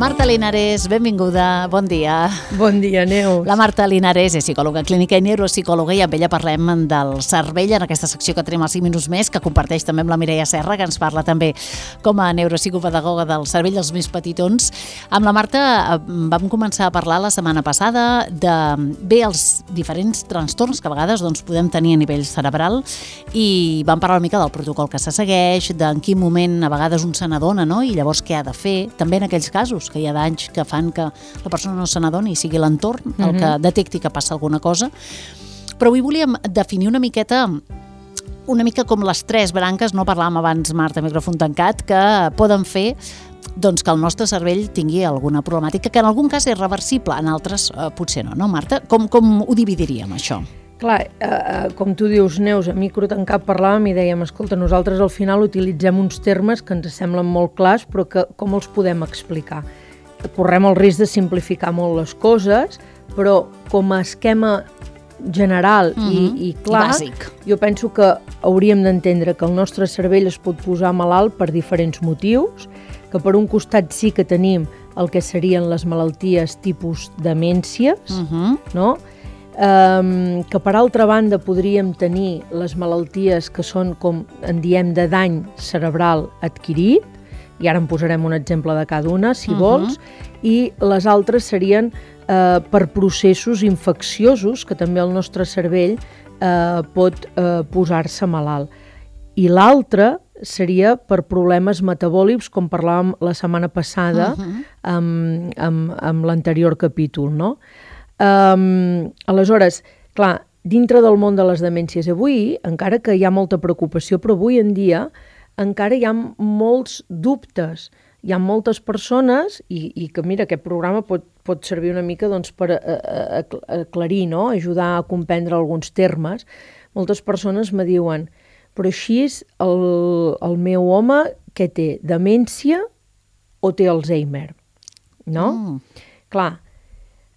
Marta Linares, benvinguda, bon dia. Bon dia, Neus. La Marta Linares és psicòloga clínica i neuropsicòloga i amb ella parlem del cervell en aquesta secció que tenim als 5 minuts més, que comparteix també amb la Mireia Serra, que ens parla també com a neuropsicopedagoga del cervell dels més petitons. Amb la Marta vam començar a parlar la setmana passada de els diferents trastorns que a vegades podem tenir a nivell cerebral i vam parlar una mica del protocol que se segueix, d'en quin moment a vegades un se n'adona, no? I llavors què ha de fer, també en aquells casos que hi ha d'anys que fan que la persona no se n'adoni i sigui l'entorn el que detecti que passa alguna cosa. Però avui volíem definir una mica com les tres branques, no parlàvem abans, Marta, micròfon tancat, que poden fer que el nostre cervell tingui alguna problemàtica, que en algun cas és reversible, en altres potser no, Marta? Com ho dividiríem, això? Clar, com tu dius, Neus, a micro tancat parlàvem i dèiem, escolta, nosaltres al final utilitzem uns termes que ens semblen molt clars, però que com els podem explicar? Correm el risc de simplificar molt les coses, però com a esquema general i clar, bàsic. Jo penso que hauríem d'entendre que el nostre cervell es pot posar malalt per diferents motius, que per un costat sí que tenim el que serien les malalties tipus demències, no? Que per altra banda podríem tenir les malalties que són, com en diem, de dany cerebral adquirit, i ara en posarem un exemple de cada una, si vols, i les altres serien per processos infecciosos, que també el nostre cervell pot posar-se malalt. I l'altra seria per problemes metabòlics, com parlàvem la setmana passada amb l'anterior capítol, no? Aleshores, clar, dintre del món de les demències avui, encara que hi ha molta preocupació, però avui en dia encara hi ha molts dubtes. Hi ha moltes persones, i que mira, aquest programa pot servir una mica per aclarir, no? Ajudar a comprendre alguns termes. Moltes persones me diuen, però així el meu home, què té? Demència o té Alzheimer? No? Clar,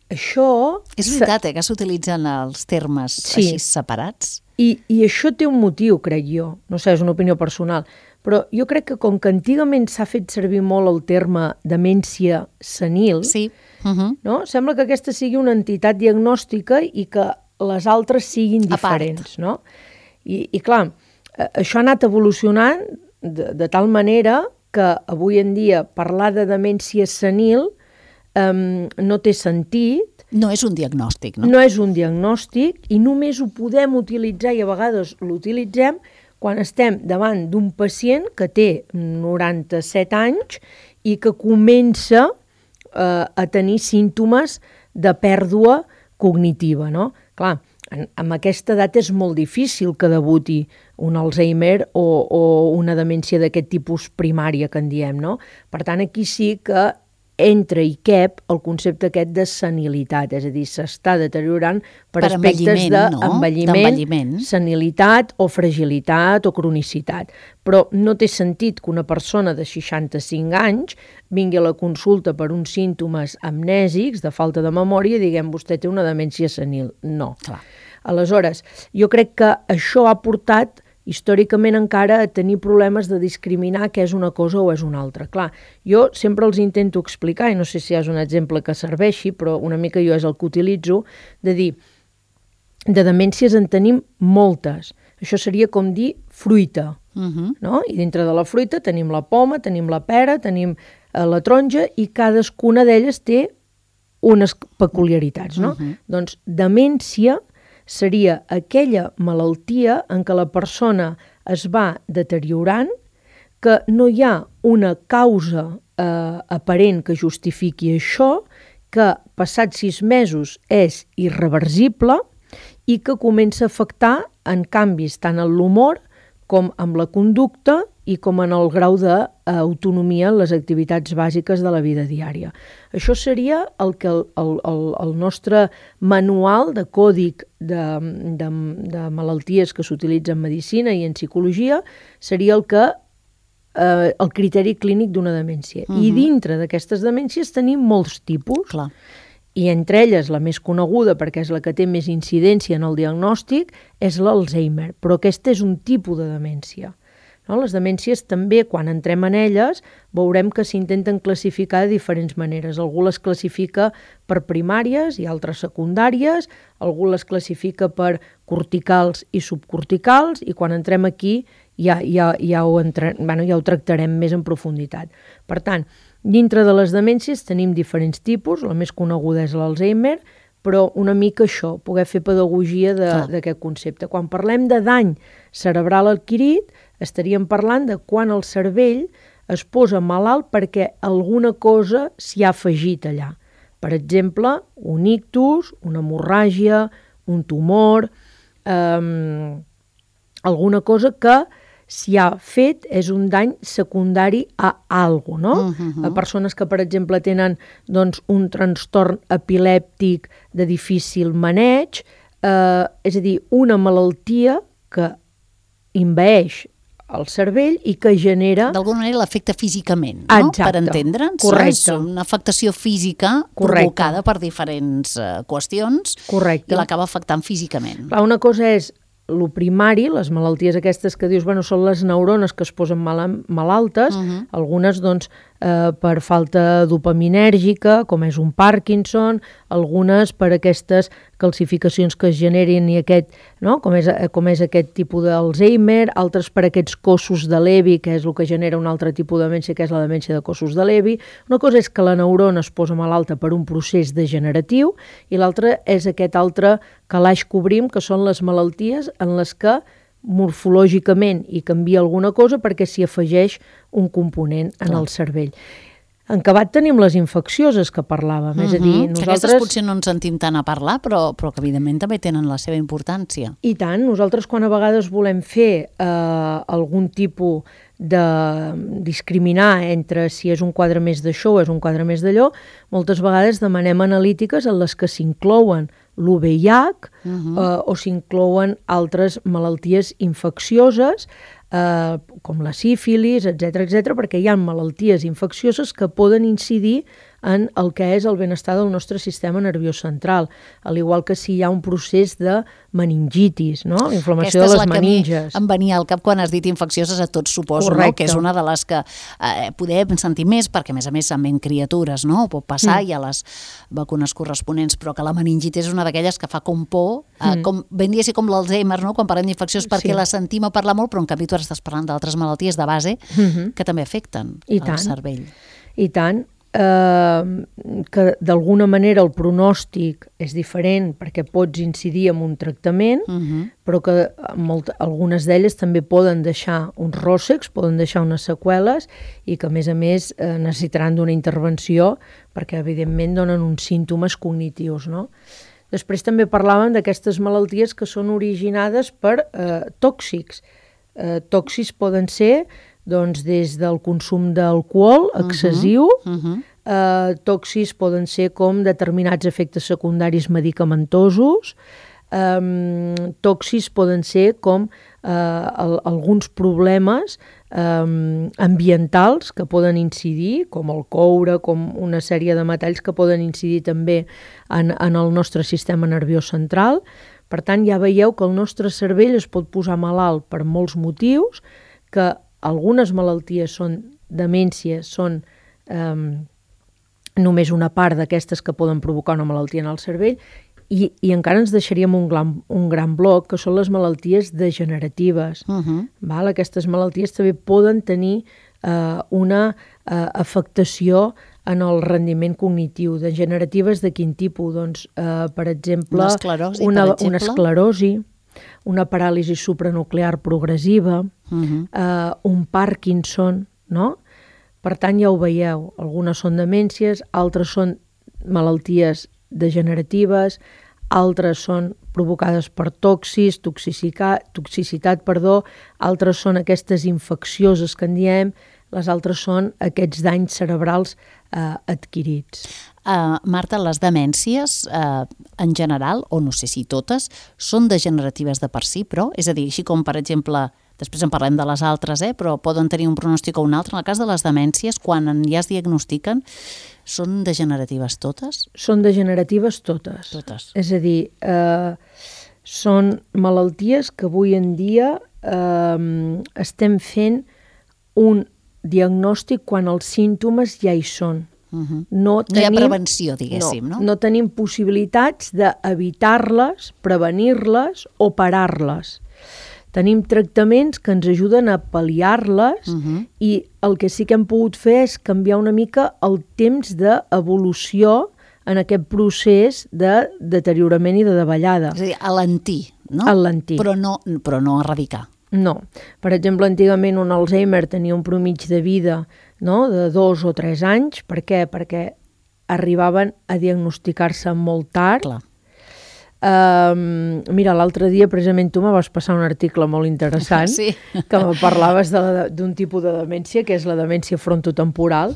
això... És veritat, que s'utilitzen els termes així separats? I això té un motiu, crec jo. No sé, és una opinió personal. Però jo crec que com que antigament s'ha fet servir molt el terme demència senil, no? Sembla que aquesta sigui una entitat diagnòstica i que les altres siguin diferents. No? I clar, això ha anat evolucionant de tal manera que avui en dia parlar de demència senil no té sentit. No és un diagnòstic, no? No és un diagnòstic i només ho podem utilitzar, i a vegades l'utilitzem, quan estem davant d'un pacient que té 97 anys i que comença a tenir símptomes de pèrdua cognitiva, no? Clar, amb aquesta edat és molt difícil que debuti un Alzheimer o una demència d'aquest tipus primària que en diem, no? Per tant, aquí sí que entra i cap el concepte aquest de senilitat, és a dir, s'està deteriorant per aspectes d'envelliment, senilitat o fragilitat o cronicitat. Però no té sentit que una persona de 65 anys vingui a la consulta per uns símptomes amnèsics, de falta de memòria, i diguem, vostè té una demència senil. No. Clar. Aleshores, jo crec que això ha portat històricament encara a tenir problemes de discriminar què és una cosa o és una altra. Clar, jo sempre els intento explicar, i no sé si és un exemple que serveixi, però una mica jo és el que utilitzo, de dir, de demències en tenim moltes. Això seria com dir fruita, no? I dintre de la fruita tenim la poma, tenim la pera, tenim la taronja, i cadascuna d'elles té unes peculiaritats, no? Doncs demència seria aquella malaltia en què la persona es va deteriorant, que no hi ha una causa aparent que justifiqui això, que passats 6 mesos és irreversible i que comença a afectar en canvis tant en l'humor com amb la conducta i com en el grau d'autonomia en les activitats bàsiques de la vida diària. Això seria el que el nostre manual de còdic de malalties que s'utilitza en medicina i en psicologia seria el criteri clínic d'una demència. I dintre d'aquestes demències tenim molts tipus. Clar. I entre elles la més coneguda, perquè és la que té més incidència en el diagnòstic, és l'Alzheimer, però aquest és un tipus de demència. No? Les demències també, quan entrem en elles, veurem que s'intenten classificar de diferents maneres. Algú les classifica per primàries i altres secundàries, algú les classifica per corticals i subcorticals, i quan entrem aquí ja ho tractarem més en profunditat. Per tant, dintre de les demències tenim diferents tipus, la més coneguda és l'Alzheimer, però una mica això, poder fer pedagogia d'aquest concepte. Quan parlem de dany cerebral adquirit, estaríem parlant de quan el cervell es posa malalt perquè alguna cosa s'hi ha afegit allà. Per exemple, un ictus, una hemorràgia, un tumor, alguna cosa que s'hi ha fet és un dany secundari a alguna cosa, no? A persones que, per exemple, tenen un trastorn epilèptic de difícil maneig, és a dir, una malaltia que envaeix el cervell i que genera... D'alguna manera l'afecta físicament, no? Exacte. Per entendre'ns. Correcte. És una afectació física provocada per diferents qüestions. Correcte. I l'acaba afectant físicament. Clar, una cosa és lo primari, les malalties aquestes que dius, són les neurones que es posen malaltes, algunes per falta dopaminèrgica, com és un Parkinson, algunes per aquestes calcificacions que es generin i com és aquest tipus d'Alzheimer, altres per aquests cossos de Levi, que és el que genera un altre tipus de demència, que és la demència de cossos de Levi. Una cosa és que la neurona es posa malalta per un procés degeneratiu i l'altra és aquest altre calaix que obrim, que són les malalties en les que morfològicament hi canvia alguna cosa perquè s'hi afegeix un component en el cervell. En acabat tenim les infeccioses que parlàvem, és a dir, nosaltres... Aquestes potser no ens sentim tant a parlar, però que evidentment també tenen la seva importància. I tant, nosaltres quan a vegades volem fer algun tipus de discriminar entre si és un quadre més d'això o és un quadre més d'allò, moltes vegades demanem analítiques en les que s'inclouen l'UVIH o s'inclouen altres malalties infeccioses com la sífilis, etc., perquè hi ha malalties infeccioses que poden incidir en el que és el benestar del nostre sistema nerviós central, al igual que si hi ha un procés de meningitis, no? La inflamació de les meninges. Em venia al cap quan has dit infeccioses a tots, suposo, no? Que és una de les que podem sentir més, perquè a més amb criatures, no? Pot passar, hi ha les vacunes corresponents, però que la meningitis és una d'aquelles que fa com por, com ben dir-se com l'Alzheimer, no? Quan parlem d'infeccions, perquè la sentim a parlar molt, però en canvi tu estàs parlant d'altres malalties de base que també afecten el cervell. I tant. Que d'alguna manera el pronòstic és diferent perquè pots incidir en un tractament, però que algunes d'elles també poden deixar uns ròssecs, poden deixar unes seqüeles i que a més necessitaran d'una intervenció perquè evidentment donen uns símptomes cognitius, no? Després també parlàvem d'aquestes malalties que són originades per tòxics. Tòxics poden ser des del consum d'alcohol excessiu, tòxics poden ser com determinats efectes secundaris medicamentosos, tòxics poden ser com alguns problemes ambientals que poden incidir, com el coure, com una sèrie de metalls que poden incidir també en el nostre sistema nerviós central. Per tant, ja veieu que el nostre cervell es pot posar malalt per molts motius, que algunes malalties demències són només una part d'aquestes que poden provocar una malaltia en el cervell i encara ens deixaríem un gran bloc, que són les malalties degeneratives. Aquestes malalties també poden tenir una afectació en el rendiment cognitiu. Degeneratives de quin tipus? Doncs, per exemple, una esclerosi, una paràlisi supranuclear progressiva, un Parkinson, no? Per tant, ja ho veieu, algunes són demències, altres són malalties degeneratives, altres són provocades per toxicitat, altres són aquestes infeccioses que en diem, les altres són aquests danys cerebrals adquirits. Marta, les demències en general, o no sé si totes, són degeneratives de per si, però, és a dir, així com per exemple, després en parlem de les altres, però poden tenir un pronòstic o un altre. En el cas de les demències, quan ja es diagnostiquen, són degeneratives totes? Són degeneratives totes. És a dir, són malalties que avui en dia estem fent un diagnòstic quan els símptomes ja hi són. No hi ha prevenció, diguéssim, no? No tenim possibilitats d'evitar-les, prevenir-les o parar-les. Tenim tractaments que ens ajuden a pal·liar-les i el que sí que hem pogut fer és canviar una mica el temps d'evolució en aquest procés de deteriorament i de davallada. És a dir, alentir, no? Alentir. Però no erradicar. No. Per exemple, antigament un Alzheimer tenia un promig de vida, no?, de 2 o 3 anys. Per què? Perquè arribaven a diagnosticar-se molt tard. Clar. Mira, l'altre dia precisament tu me vas passar un article molt interessant que me parlaves d'un tipus de demència, que és la demència frontotemporal,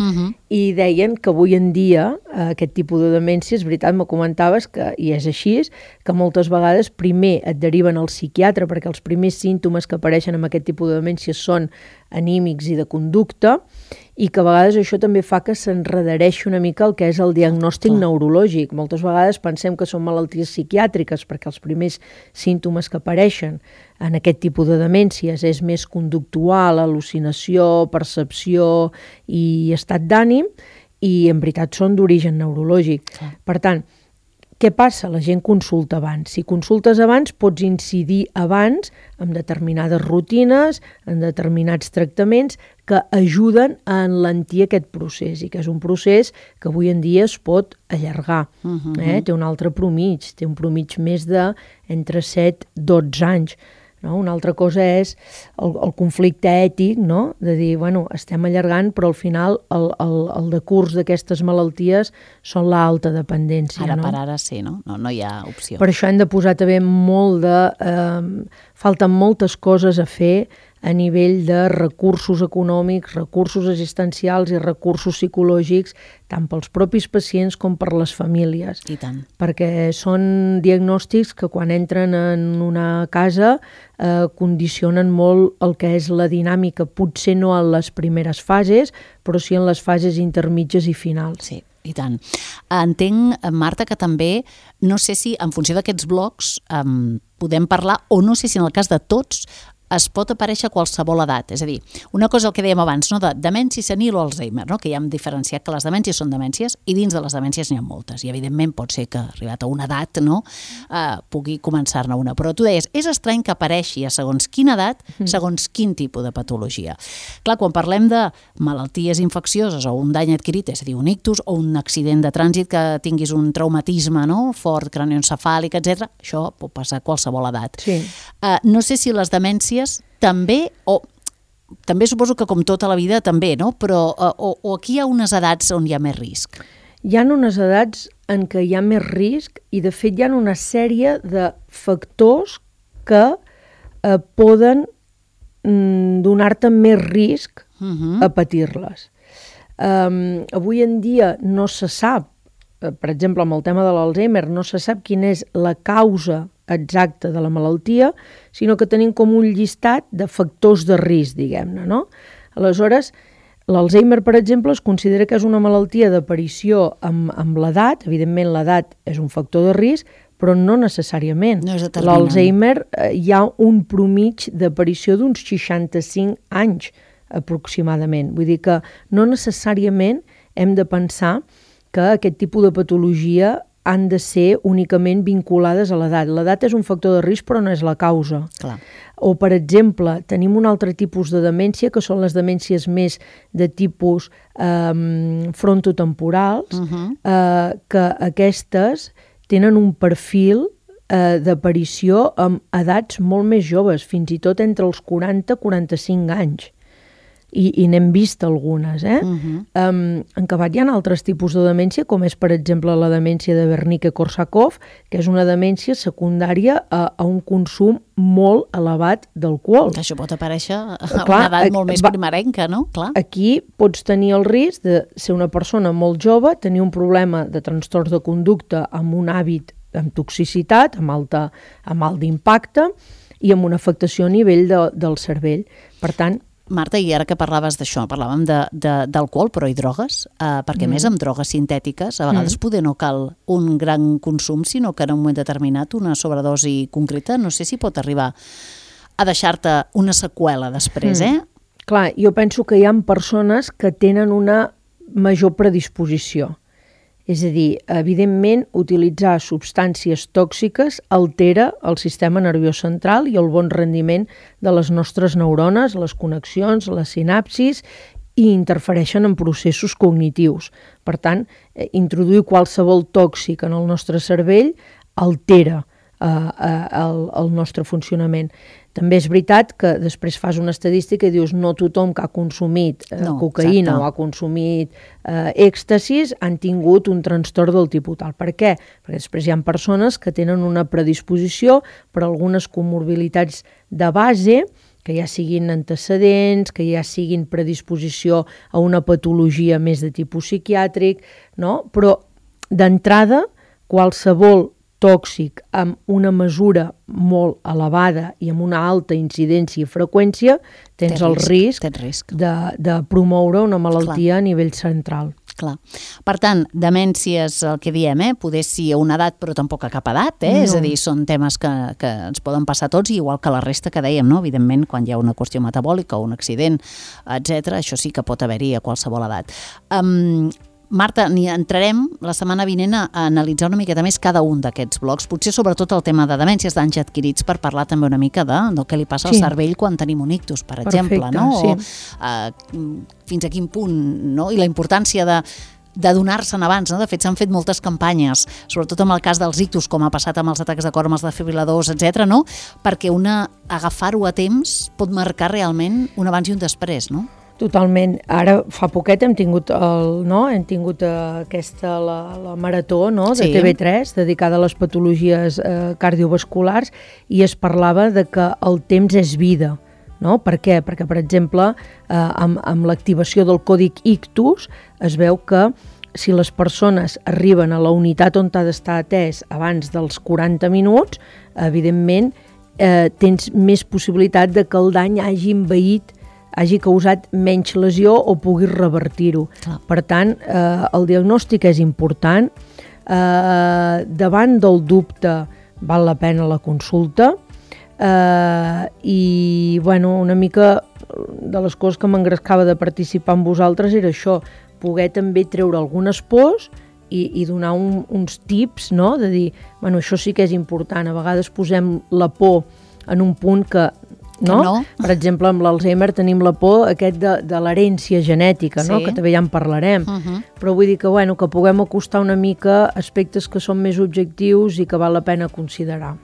i deien que avui en dia aquest tipus de demència, és veritat, me comentaves que, i és així, que moltes vegades primer et deriven al psiquiatre perquè els primers símptomes que apareixen amb aquest tipus de demència són anímics i de conducta, i que a vegades això també fa que s'enredereixi una mica el que és el diagnòstic neurològic. Moltes vegades pensem que són malalties psiquiàtriques perquè els primers símptomes que apareixen en aquest tipus de demències és més conductual, al·lucinació, percepció i estat d'ànim, i en veritat són d'origen neurològic. Per tant, què passa? La gent consulta abans. Si consultes abans, pots incidir abans en determinades rutines, en determinats tractaments que ajuden a enlentir aquest procés, i que és un procés que avui en dia es pot allargar. Té un altre promig, té un promig més de entre 7 i 12 anys. No? Una altra cosa és el conflicte ètic, no? De dir, bueno, estem allargant, però al final el decurs d'aquestes malalties són l'alta dependència. Ara per ara sí, no? No hi ha opció. Per això hem de posar també molt de... falten moltes coses a fer a nivell de recursos econòmics, recursos assistencials i recursos psicològics, tant pels propis pacients com per les famílies. I tant. Perquè són diagnòstics que quan entren en una casa condicionen molt el que és la dinàmica, potser no en les primeres fases, però sí en les fases intermitges i finals. Sí. I tant. Entenc, Marta, que també, no sé si en funció d'aquests blocs podem parlar, o no sé si en el cas de tots es pot aparèixer a qualsevol edat. És a dir, una cosa el que dèiem abans, no? De demència senil o Alzheimer, no? Que ja hem diferenciat que les demències són demències i dins de les demències n'hi ha moltes. I evidentment pot ser que arribat a una edat pugui començar-ne una. Però tu deies, és estrany que apareixi a segons quina edat, segons quin tipus de patologia. Clar, quan parlem de malalties infeccioses o un dany adquirit, és a dir, un ictus o un accident de trànsit que tinguis un traumatisme, no? Fort, crànioencefàlic, etc. Això pot passar a qualsevol edat. Sí. No sé si les demències també, o també suposo que com tota la vida també, no? Però o aquí hi ha unes edats on hi ha més risc? Hi ha unes edats en què hi ha més risc i de fet hi ha una sèrie de factors que poden donar-te més risc a patir-les. Avui en dia no se sap, per exemple amb el tema de l'Alzheimer, no se sap quina és la causa exacta de la malaltia, sinó que tenim com un llistat de factors de risc, diguem-ne, no? Aleshores, l'Alzheimer, per exemple, es considera que és una malaltia d'aparició amb l'edat. Evidentment, l'edat és un factor de risc, però no necessàriament. No és determinant. L'Alzheimer hi ha un promig d'aparició d'uns 65 anys, aproximadament. Vull dir que no necessàriament hem de pensar que aquest tipus de patologia han de ser únicament vinculades a l'edat. L'edat és un factor de risc, però no és la causa. Clar. O, per exemple, tenim un altre tipus de demència, que són les demències més de tipus frontotemporals, que aquestes tenen un perfil d'aparició amb edats molt més joves, fins i tot entre els 40 i 45 anys. I n'hem vist algunes. En acabat hi ha altres tipus de demència, com és, per exemple, la demència de Wernicke-Korsakoff, que és una demència secundària a un consum molt elevat d'alcohol. Això pot aparèixer a una edat molt més primerenca, no? Clar. Aquí pots tenir el risc de ser una persona molt jove, tenir un problema de trastorns de conducta amb un hàbit amb toxicitat, amb alt d'impacte i amb una afectació a nivell del cervell. Per tant, Marta, i ara que parlaves d'això, parlàvem d'alcohol, però i drogues, perquè més amb drogues sintètiques, a vegades poder no cal un gran consum, sinó que en un moment determinat una sobredosi concreta, no sé si pot arribar a deixar-te una seqüela després, Clar, jo penso que hi ha persones que tenen una major predisposició. És a dir, evidentment, utilitzar substàncies tòxiques altera el sistema nerviós central i el bon rendiment de les nostres neurones, les connexions, les sinapsis, i interfereixen en processos cognitius. Per tant, introduir qualsevol tòxic en el nostre cervell altera el nostre funcionament. També és veritat que després fas una estadística i dius no tothom que ha consumit cocaïna o ha consumit èxtasis han tingut un trastorn del tipus tal. Per què? Perquè després hi ha persones que tenen una predisposició per algunes comorbilitats de base, que ja siguin antecedents, que ja siguin predisposició a una patologia més de tipus psiquiàtric, no? Però d'entrada qualsevol tòxic amb una mesura molt elevada i amb una alta incidència i freqüència, tens el risc de promoure una malaltia a nivell central. Clar. Per tant, demències, el que diem, poder sí a una edat, però tampoc a cap edat, és a dir, són temes que ens poden passar a tots, igual que la resta que dèiem, no? Evidentment, quan hi ha una qüestió metabòlica o un accident, etc., això sí que pot haver-hi a qualsevol edat. Marta, entrarem la setmana vinent a analitzar una miqueta més cada un d'aquests blocs, potser sobretot el tema de demències d'anys adquirits, per parlar també una mica del que li passa al cervell quan tenim un ictus, per exemple, no? O fins a quin punt, no? I la importància de donar-se'n abans, no? De fet, s'han fet moltes campanyes, sobretot en el cas dels ictus, com ha passat amb els atacs de cor, amb els desfibril·ladors, etc., no? Perquè agafar-ho a temps pot marcar realment un abans i un després, no? Totalment. Ara, fa poquet hem tingut la marató de TV3 dedicada a les patologies cardiovasculars i es parlava de que el temps és vida. No? Per què? Perquè, per exemple, amb l'activació del còdic ictus es veu que si les persones arriben a la unitat on ha d'estar atès abans dels 40 minuts, evidentment tens més possibilitat de que el dany hagi causat menys lesió o puguis revertir-ho. Per tant, el diagnòstic és important. Davant del dubte val la pena la consulta i una mica de les coses que m'engrescava de participar amb vosaltres era això, poder també treure algunes pors i donar uns tips, no? De dir, això sí que és important. A vegades posem la por en un punt que no? Per exemple, amb l'Alzheimer tenim la por de l'herència genètica, no? Que també ja en parlarem. Però vull dir que puguem acostar una mica aspectes que són més objectius i que val la pena considerar.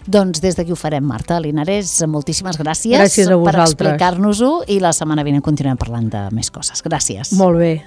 Doncs des d'aquí ho farem, Marta Linares. Moltíssimes gràcies per explicar-nos-ho i la setmana vinent continuem parlant de més coses. Gràcies. Molt bé.